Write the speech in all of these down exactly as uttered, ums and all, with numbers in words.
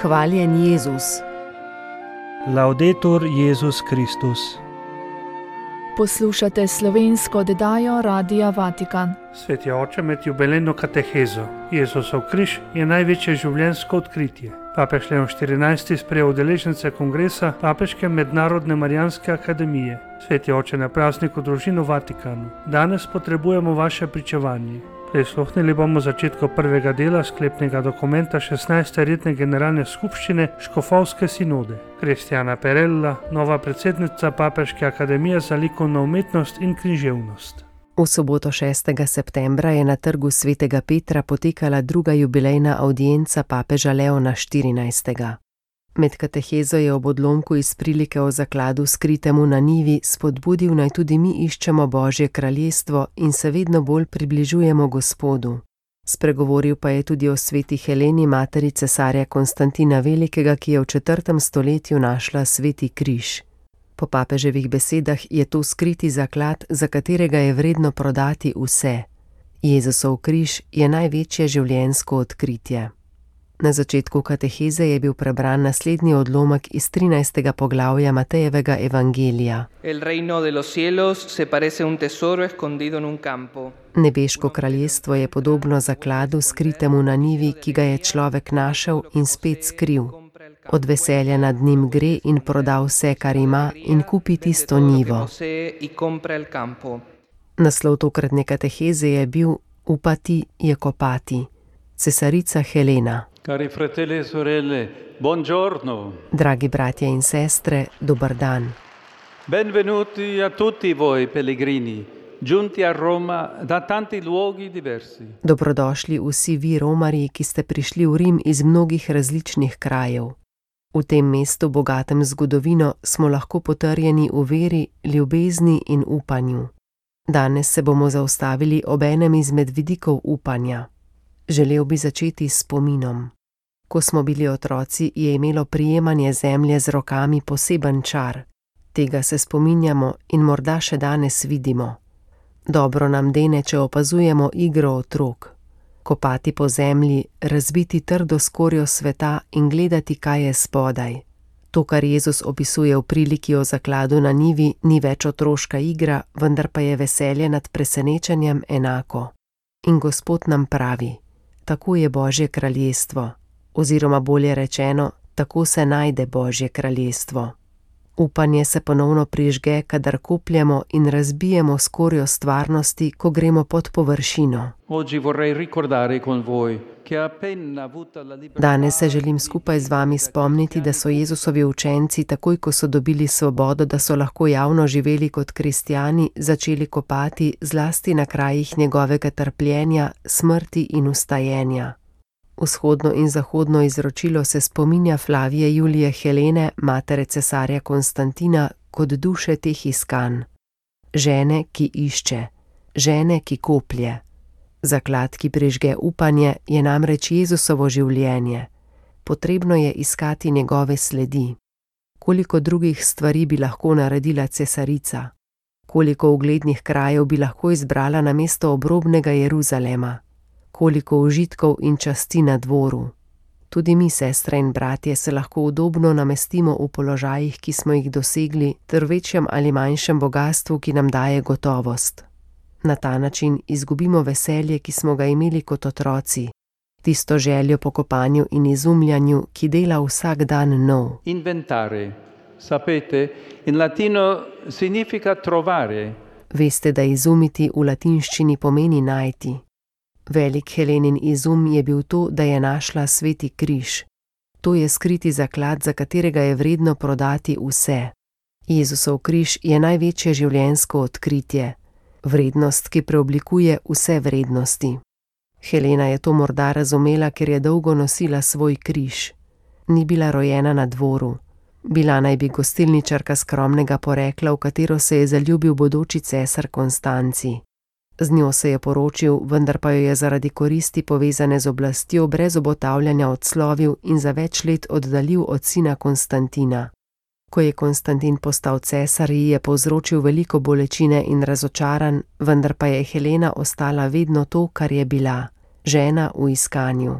Hvaljen Jezus. Laudetur Jezus Kristus. Poslušate slovensko oddajo Radia Vatikan. Sveti oče, med jubilejno katehezo Jezusov križ je največje življenjsko odkritje. Papež Leon štirinajsti sprejel udeležence kongresa Papeške mednarodne Marijanske akademije. Sveti oče, na prazniku družin v Vatikanu. Danes potrebujemo vaše pričevanje. Prisluhnili bomo začetku prvega dela sklepnega dokumenta šestnajste redne generalne skupščine Škofovske sinode. Kristjana Perella, nova predsednica Papeške akademije za likovno umetnost in književnost. V soboto šestega septembra je na trgu svetega Petra potekala druga jubilejna avdienca papeža Leona štirinajstega. Med katehezo je ob odlomku iz prilike o zakladu skritemu na njivi spodbudil, naj tudi mi iščemo Božje kraljestvo in se vedno bolj približujemo Gospodu. Spregovoril pa je tudi o sveti Heleni, materi cesarja Konstantina Velikega, ki je v četrtem stoletju našla sveti križ. Po papeževih besedah je to skriti zaklad, za katerega je vredno prodati vse. Jezusov križ je največje življenjsko odkritje. Na začetku kateheze je bil prebran naslednji odlomek iz trinajstega poglavja Matejevega evangelija. El reino de los cielos se parece un tesoro escondido en un campo. Nebeško kraljestvo je podobno zakladu skritemu na njivi, ki ga je človek našel in spet skril. Od veselja nad njim gre in proda vse, kar ima, in kupi tisto njivo. Naslov tokratne kateheze je bil Upati je kopati. Cesarica Helena. Cari fratelli e sorelle, buongiorno. Dragi bratje in sestre, dober dan. Benvenuti a tutti voi pellegrini, giunti a Roma da tanti luoghi diversi. Dobrodošli vsi vi romarji, ki ste prišli v Rim iz mnogih različnih krajev. V tem mestu, bogatem zgodovino, smo lahko potrjeni v veri, ljubezni in upanju. Danes se bomo zaustavili ob enem izmed vidikov upanja. Želel bi začeti s spominom. Ko smo bili otroci, je imelo prijemanje zemlje z rokami poseben čar. Tega se spominjamo in morda še danes vidimo. Dobro nam dene, če opazujemo igro otrok. Kopati po zemlji, razbiti trdo skorjo sveta in gledati, kaj je spodaj. To, kar Jezus opisuje v priliki o zakladu na njivi, ni več otroška igra, vendar pa je veselje nad presenečenjem enako. In Gospod nam pravi: tako je Božje kraljestvo, oziroma bolje rečeno, tako se najde Božje kraljestvo. Upanje se ponovno prižge, kadar kopljemo in razbijemo skorjo stvarnosti, ko gremo pod površino. Danes se želim skupaj z vami spomniti, da so Jezusovi učenci, takoj ko so dobili svobodo, da so lahko javno živeli kot kristjani, začeli kopati zlasti na krajih njegovega trpljenja, smrti in vstajenja. Vzhodno in zahodno izročilo se spominja Flavije Julije Helene, matere cesarja Konstantina, kot duše teh iskanj. Žene, ki išče, žene, ki koplje. Zaklad, ki prižge upanje, je namreč Jezusovo življenje. Potrebno je iskati njegove sledi. Koliko drugih stvari bi lahko naredila cesarica? Koliko uglednih krajev bi lahko izbrala namesto obrobnega Jeruzalema? Koliko užitkov in časti na dvoru. Tudi mi, sestre in bratje, se lahko udobno namestimo v položajih, ki smo jih dosegli, ter večjem ali manjšem bogastvu, ki nam daje gotovost. Na ta način izgubimo veselje, ki smo ga imeli kot otroci, tisto željo po kopanju in izumljanju, ki dela vsak dan nov. Inventare, sapete, in latino significa trovare. Veste, da izumiti v latinščini pomeni najti. Velik Helenin izum je bil to, da je našla sveti križ. To je skriti zaklad, za katerega je vredno prodati vse. Jezusov križ je največje življenjsko odkritje, vrednost, ki preoblikuje vse vrednosti. Helena je to morda razumela, ker je dolgo nosila svoj križ. Ni bila rojena na dvoru. Bila naj bi gostilničarka skromnega porekla, v katero se je zaljubil bodoči cesar Konstanci. Z njo se je poročil, vendar pa jo je zaradi koristi povezane z oblastjo brez obotavljanja odslovil in za več let oddaljil od sina Konstantina. Ko je Konstantin postal cesar, ji je povzročil veliko bolečine in razočaranj, vendar pa je Helena ostala vedno to, kar je bila, žena v iskanju.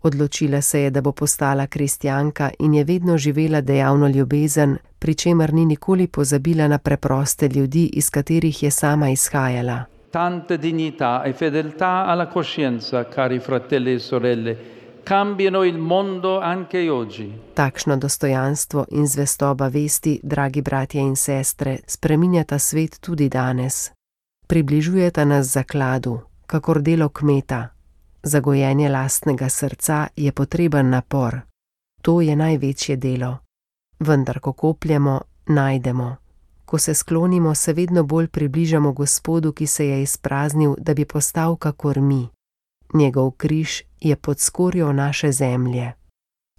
Odločila se je, da bo postala kristjanka in je vedno živela dejavno ljubezen, pri čemer ni nikoli pozabila na preproste ljudi, iz katerih je sama izhajala. Tanta dignità e fedeltà alla coscienza, cari fratelli e sorelle, cambiano il mondo anche oggi. Takšno dostojanstvo in zvestoba vesti, dragi bratje in sestre, spreminjata svet tudi danes. Približujeta nas zakladu, kakor delo kmeta. Za gojenje lastnega srca je potreben napor. To je največje delo. Vendar, ko kopljemo, najdemo. Ko se sklonimo, se vedno bolj približamo Gospodu, ki se je izpraznil, da bi postal kakor mi. Njegov križ je pod skorjo naše zemlje.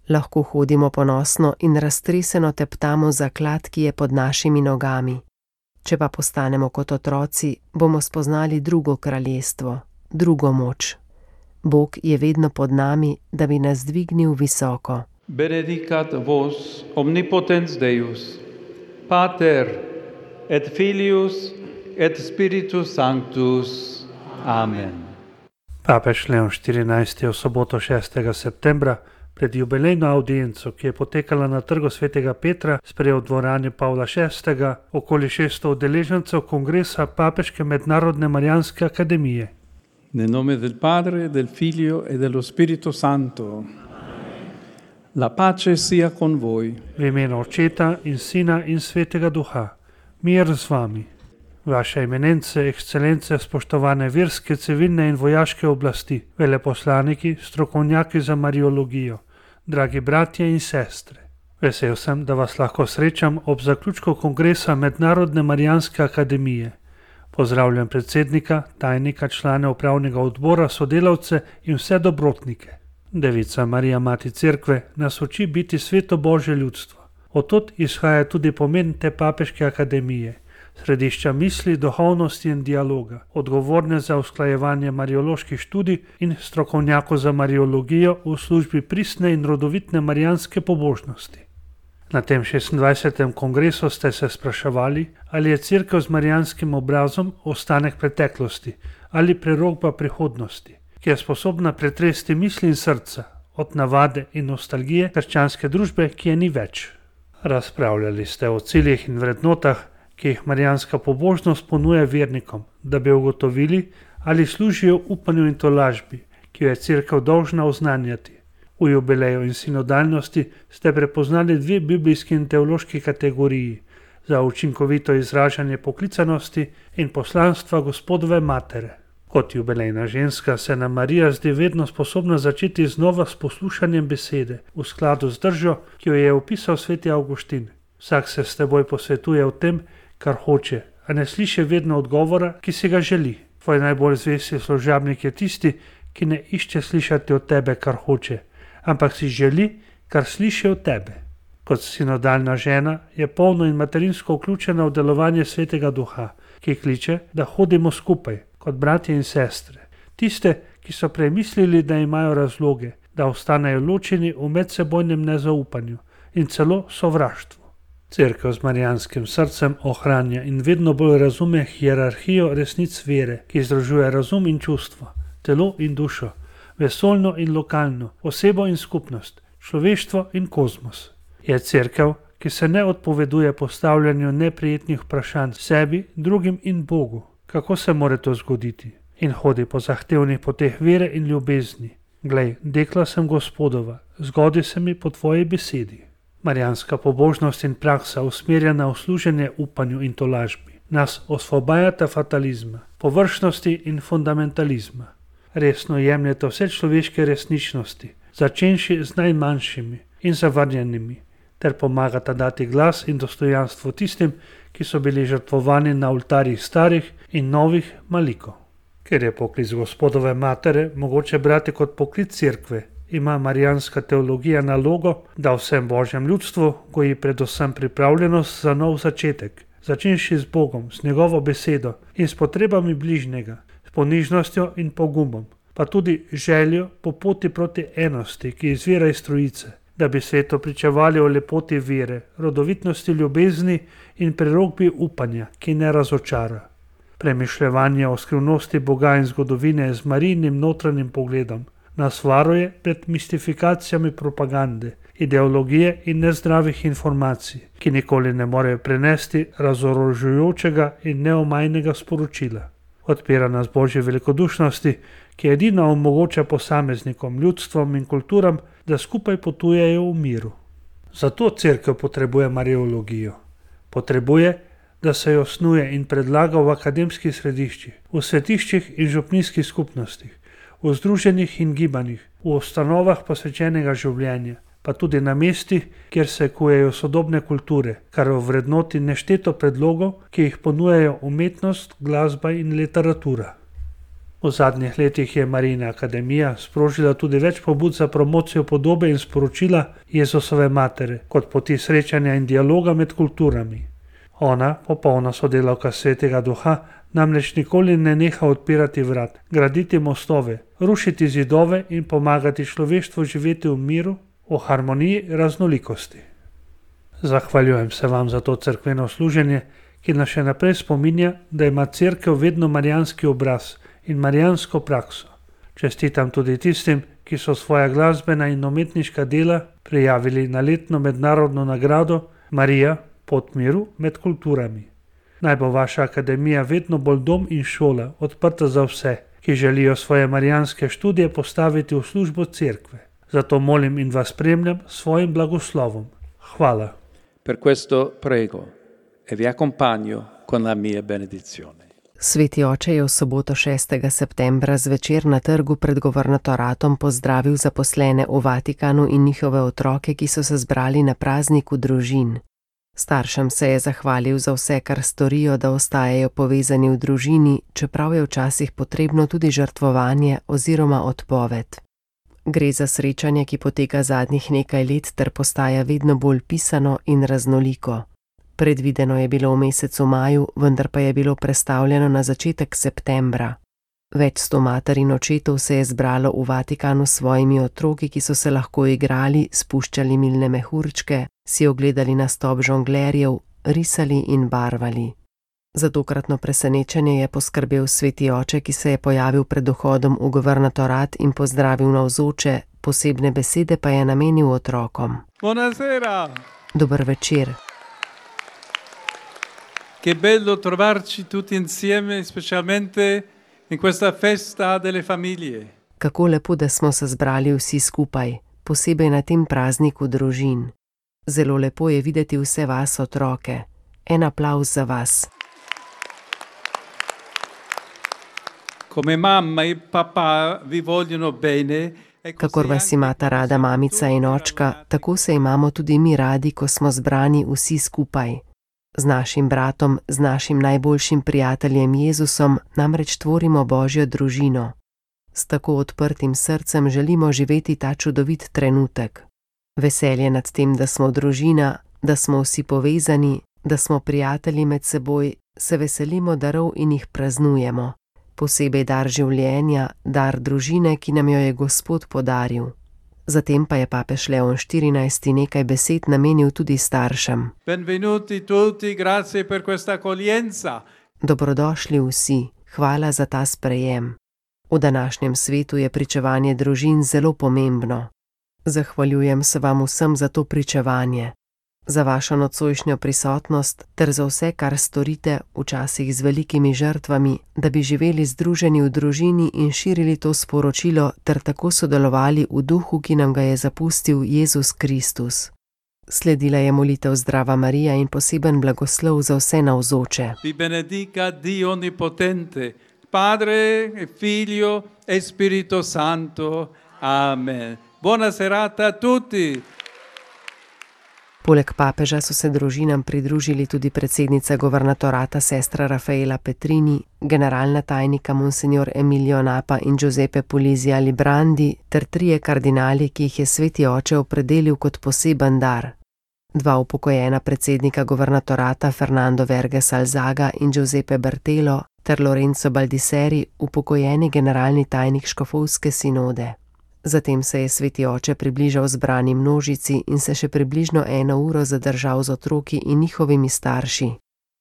Lahko hodimo ponosno in raztreseno teptamo zaklad, ki je pod našimi nogami. Če pa postanemo kot otroci, bomo spoznali drugo kraljestvo, drugo moč. Bog je vedno pod nami, da bi nas dvignil visoko. Benedicat vos omnipotens Deus, Pater et Filius et Spiritus Sanctus. Amen. Papež Leon štirinajsti je v soboto šestega septembra pred jubilejno avdienco, ki je potekala na trgu svetega Petra, sprejel v dvorani Pavla šestega okoli šeststo udeležencev kongresa Papeške mednarodne Marijanske akademije. Nel nome del Padre, del Figlio e dello Spirito Santo. La pace sia con voi. V imenu Očeta in Sina in Svetega Duha. Mir z vami. Vaše eminence, ekscelence, spoštovane verske, civilne in vojaške oblasti, veleposlaniki, strokovnjaki za mariologijo, dragi bratje in sestre. Vesel sem, da vas lahko srečam ob zaključku kongresa Mednarodne Marijanske akademije. Pozdravljam predsednika, tajnika, člane upravnega odbora, sodelavce in vse dobrotnike. Devica Marija, mati cerkve, nas uči biti sveto Božje ljudstvo. Od izhaja tudi pomen te papeške akademije, središča misli, duhovnosti in dialoga, odgovorne za usklajevanje marioloških študij in strokovnjakov za mariologijo v službi pristne in rodovitne marijanske pobožnosti. Na tem šestindvajsetem kongresu ste se spraševali, ali je cerkev z marijanskim obrazom ostanek preteklosti ali prerokba prihodnosti, ki je sposobna pretresti misli in srca od navade in nostalgije krščanske družbe, ki je ni več. Razpravljali ste o ciljih in vrednotah, ki jih marijanska pobožnost ponuja vernikom, da bi ugotovili, ali služijo upanju in tolažbi, ki jo je cerkev dolžna oznanjati. V jubileju in sinodalnosti ste prepoznali dve biblijski in teološki kategoriji za učinkovito izražanje poklicanosti in poslanstva Gospodove matere. Kot jubilejna ženska se nam Marija zdi vedno sposobna začeti znova s poslušanjem besede, v skladu z držo, ki jo je opisal sveti Avguštin. Vsak se s teboj posvetuje o tem, kar hoče, a ne sliši vedno odgovora, ki si ga želi. Tvoj najbolj zvesti služabnik je tisti, ki ne išče slišati od tebe, kar hoče, ampak si želi, kar sliši od tebe. Kot sinodalna žena je polno in materinsko vključena v delovanje Svetega Duha, ki kliče, da hodimo skupaj, kot bratje in sestre. Tiste, ki so premislili, da imajo razloge, da ostanejo ločeni v medsebojnem nezaupanju in celo sovraštvu. Cerkev z marijanskim srcem ohranja in vedno bolj razume hierarhijo resnic vere, ki združuje razum in čustvo, telo in dušo, vesoljno in lokalno, osebo in skupnost, človeštvo in kozmos. Je cerkev, ki se ne odpoveduje postavljanju neprijetnih vprašanj sebi, drugim in Bogu. Kako se more to zgoditi? In hodi po zahtevnih poteh vere in ljubezni. Glej, dekla sem Gospodova, zgodi se mi po tvoji besedi. Marijanska pobožnost in praksa, usmerjena v služenje upanju in tolažbi, nas osvobajata fatalizma, površnosti in fundamentalizma. Resno jemljete vse človeške resničnosti, začenši z najmanjšimi in zavrnjenimi, ter pomagata dati glas in dostojanstvo tistim, ki so bili žrtvovani na oltarjih starih in novih malikov. Ker je poklic Gospodove matere mogoče brati kot poklic cerkve, ima marijanska teologija nalogo, da vsem Božjem ljudstvu goji predvsem pripravljenost za nov začetek, začenši z Bogom, s njegovo besedo in s potrebami bližnjega, s ponižnostjo in pogumom, pa tudi željo po poti proti enosti, ki izvira iz Trojice, da bi svetu pričevali o lepoti vere, rodovitnosti ljubezni in prerokbi upanja, ki ne razočara. Premišljevanje o skrivnosti Boga in zgodovine z Marijinim notranjim pogledom nas varuje pred mistifikacijami propagande, ideologije in nezdravih informacij, ki nikoli ne morejo prenesti razorožujočega in neomajnega sporočila. Odpira nas Božji velikodušnosti, ki edina omogoča posameznikom, ljudstvom in kulturam, da skupaj potujejo v miru. Zato Cerkev potrebuje mariologijo. Potrebuje, da se jo snuje in predlaga v akademskih središčih, v svetiščih in župnijskih skupnostih, v združenjih in gibanjih, v ustanovah posvečenega življenja, pa tudi na mestih, kjer se kujejo sodobne kulture, kar ovrednoti nešteto predlogov, ki jih ponujajo umetnost, glasba in literatura. V zadnjih letih je Marijina akademija sprožila tudi več pobud za promocijo podobe in sporočila Jezusove matere, kot poti srečanja in dialoga med kulturami. Ona, popolna sodelavka Svetega Duha, namreč nikoli ne neha odpirati vrat, graditi mostove, rušiti zidove in pomagati človeštvu živeti v miru, v harmoniji raznolikosti. Zahvaljujem se vam za to cerkveno služenje, ki nas še naprej spominja, da ima Cerkev vedno marijanski obraz in marijansko prakso. Čestitam tudi tistim, ki so svoja glasbena in umetniška dela prijavili na letno mednarodno nagrado Marija, pot miru med kulturami. Naj bo vaša akademija vedno bolj dom in šola, odprta za vse, ki želijo svoje marijanske študije postaviti v službo Cerkve. Zato molim in vas spremljam s svojim blagoslovom. Hvala. Per questo prego e vi accompagno con la mia benedizione. Sveti oče je v soboto šestega septembra zvečer na trgu pred governatoratom pozdravil zaposlene v Vatikanu in njihove otroke, ki so se zbrali na prazniku družin. Staršem se je zahvalil za vse, kar storijo, da ostajajo povezani v družini, čeprav je včasih potrebno tudi žrtvovanje oziroma odpoved. Gre za srečanje, ki poteka zadnjih nekaj let ter postaja vedno bolj pisano in raznoliko. Predvideno je bilo v mesecu maju, vendar pa je bilo prestavljeno na začetek septembra. Več sto mater in očetov se je zbralo v Vatikanu s svojimi otroki, ki so se lahko igrali, spuščali milne mehurčke, si ogledali nastop žonglerjev, risali in barvali. Za tokratno presenečenje je poskrbel sveti oče, ki se je pojavil pred vhodom v governatorat in pozdravil navzoče, posebne besede pa je namenil otrokom. Buonasera! Dober večer. Che bello trovarci tutti insieme, specialmente in questa festa delle famiglie. Kako lepo, da smo se zbrali vsi skupaj, posebej na tem prazniku družin. Zelo lepo je videti vse vas otroke. En aplavz za vas. Come mamma e papà vi vogliono bene. Kakor vas imata rada mamica in očka, tako se imamo tudi mi radi, ko smo zbrani vsi skupaj. Z našim bratom, z našim najboljšim prijateljem Jezusom namreč tvorimo Božjo družino. S tako odprtim srcem želimo živeti ta čudovit trenutek. Veselje nad tem, da smo družina, da smo vsi povezani, da smo prijatelji med seboj, se veselimo darov in jih praznujemo. Posebej dar življenja, dar družine, ki nam jo je Gospod podaril. Zatem pa je papež Leon štirinajsti nekaj besed namenil tudi staršem. Benvenuti tutti, grazie per questa accoglienza. Dobrodošli vsi, hvala za ta sprejem. V današnjem svetu je pričevanje družin zelo pomembno. Zahvaljujem se vam vsem za to pričevanje, za vašo nocojšnjo prisotnost ter za vse, kar storite, včasih z velikimi žrtvami, da bi živeli združeni v družini in širili to sporočilo ter tako sodelovali v duhu, ki nam ga je zapustil Jezus Kristus. Sledila je molitev Zdrava Marija in poseben blagoslov za vse navzoče. Vi benedica Dio onnipotente, Padre e Figlio e Spirito Santo. Amen. Buona serata a tutti. Poleg papeža so se družinam pridružili tudi predsednica governatorata sestra Rafaela Petrini, generalna tajnika monsignor Emilio Napa in Giuseppe Pulizia Librandi ter trije kardinali, ki jih je sveti oče opredelil kot poseben dar. Dva upokojena predsednika governatorata Fernando Verges Alzaga in Giuseppe Bertelo ter Lorenzo Baldisseri, upokojeni generalni tajnik škofovske sinode. Zatem se je sveti oče približal zbrani množici in se še približno eno uro zadržal z otroki in njihovimi starši.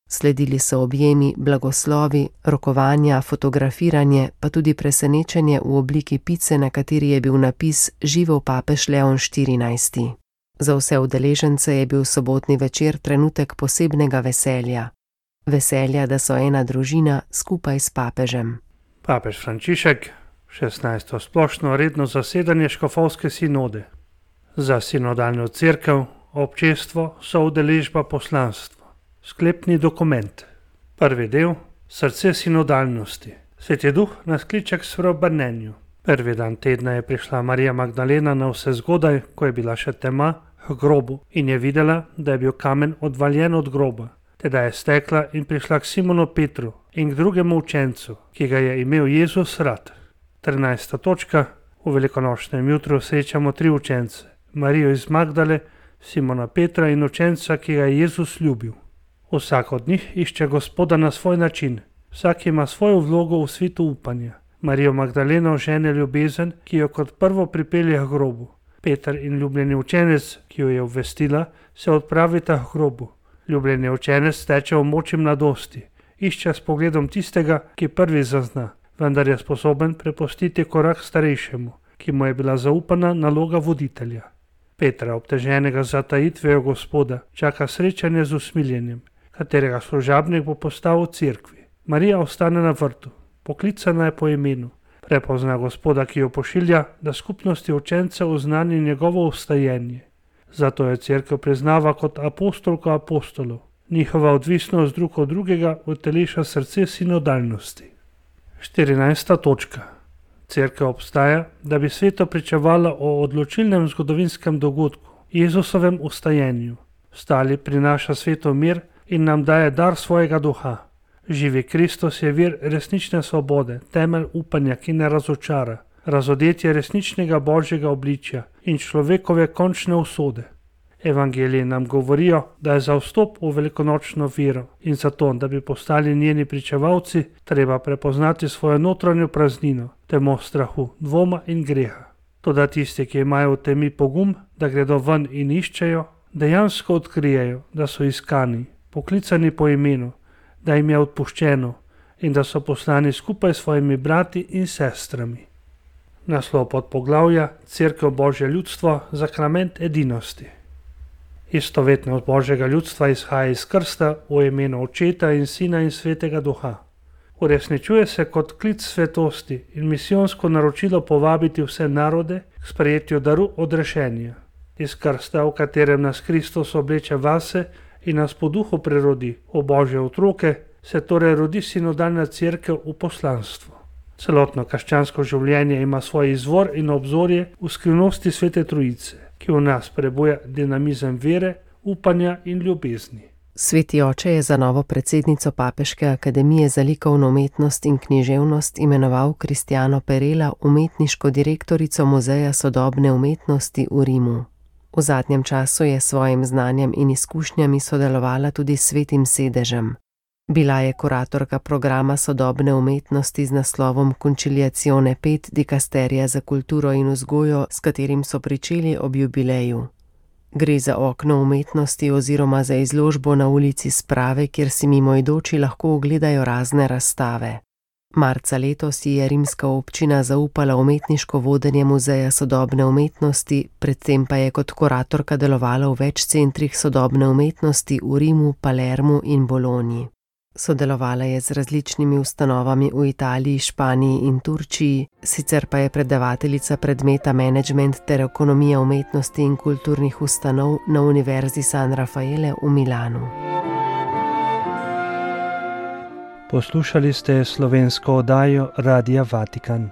Sledili so objemi, blagoslovi, rokovanja, fotografiranje, pa tudi presenečenje v obliki pice, na kateri je bil napis Živel papež Leon štirinajsti. Za vse udeležence je bil sobotni večer trenutek posebnega veselja. Veselja, da so ena družina skupaj s papežem. Papež Frančišek, šestnajsto splošno redno zasedanje škofovske sinode. Za sinodalno cerkev, občestvo, soudeležba, poslanstvo. Sklepni dokument. Prvi del, srce sinodalnosti. Sveti duh nas kliče k spreobrnenju. Prvi dan tedna je prišla Marija Magdalena na vse zgodaj, ko je bila še tema, k grobu in je videla, da je bil kamen odvaljen od groba. Teda je stekla in prišla k Simonu Petru in k drugemu učencu, ki ga je imel Jezus rad. trinajsta točka. V velikonočnem jutru srečamo tri učence. Marijo iz Magdale, Simona Petra in učenca, ki ga je Jezus ljubil. Vsak od njih išče Gospoda na svoj način. Vsak ima svojo vlogo v svetu upanja. Marijo Magdaleno žene ljubezen, ki jo kot prvo pripelje k grobu. Peter in ljubljeni učenec, ki jo je obvestila, se odpravita k grobu. Ljubljeni učenec teče v moči mladosti. Išče s pogledom tistega, ki prvi zazna, vendar je sposoben prepustiti korak starejšemu, ki mu je bila zaupana naloga voditelja. Petra, obteženega z zatajitvijo Gospoda, čaka srečanje z usmiljenjem, katerega služabnik bo postal v cerkvi. Marija ostane na vrtu, poklicana je po imenu, prepozna Gospoda, ki jo pošilja, da skupnosti učencev oznani njegovo vstajenje. Zato jo cerkev priznava kot apostolko apostolov. Njihova odvisnost drug od drugega uteleša srce sinodalnosti. štirinajsta točka. Cerkev obstaja, da bi svetu pričevala o odločilnem zgodovinskem dogodku, Jezusovem vstajenju. Vstali prinaša svetu mir in nam daje dar svojega duha. Živi Kristus je vir resnične svobode, temelj upanja, ki ne razočara, razodetje resničnega božjega obličja in človekove končne usode. Evangeliji nam govorijo, da je za vstop v velikonočno vero in zato, da bi postali njeni pričevalci, treba prepoznati svojo notranjo praznino, temo strahu, dvoma in greha. Toda tisti, ki imajo v temi pogum, da gredo ven in iščejo, dejansko odkrijejo, da so iskani, poklicani po imenu, da jim je odpuščeno in da so poslani skupaj s svojimi brati in sestrami. Naslov podpoglavja Cerkev Božje ljudstvo, sakrament edinosti. Istovetnost Božjega ljudstva izhaja iz krsta v imenu Očeta in Sina in Svetega Duha. Uresničuje se kot klic svetosti in misijonsko naročilo povabiti vse narode k sprejetju daru odrešenja. Iz krsta, v katerem nas Kristus obleče vase in nas po duhu prerodi v Božje otroke, se torej rodi sinodalna cerkev v poslanstvo. Celotno krščansko življenje ima svoj izvor in obzorje v skrivnosti Svete Trojice, ki v nas prebuja dinamizem vere, upanja in ljubezni. Sveti oče je za novo predsednico Papeške akademije za likovno umetnost in književnost imenoval Kristjano Perela, umetniško direktorico Muzeja sodobne umetnosti v Rimu. V zadnjem času je s svojim znanjem in izkušnjami sodelovala tudi s Svetim sedežem. Bila je kuratorka programa sodobne umetnosti z naslovom Conciliazione pet Dikasterija za kulturo in vzgojo, s katerim so pričeli ob jubileju. Gre za okno umetnosti oziroma za izložbo na ulici Sprave, kjer si mimoidoči lahko ogledajo razne razstave. Marca letos je rimska občina zaupala umetniško vodenje Muzeja sodobne umetnosti, predtem pa je kot kuratorka delovala v več centrih sodobne umetnosti v Rimu, Palermu in Bologni. Sodelovala je z različnimi ustanovami v Italiji, Španiji in Turčiji, sicer pa je predavateljica predmeta menedžment ter ekonomija umetnosti in kulturnih ustanov na Univerzi San Raffaele v Milanu. Poslušali ste slovensko oddajo Radia Vatikan.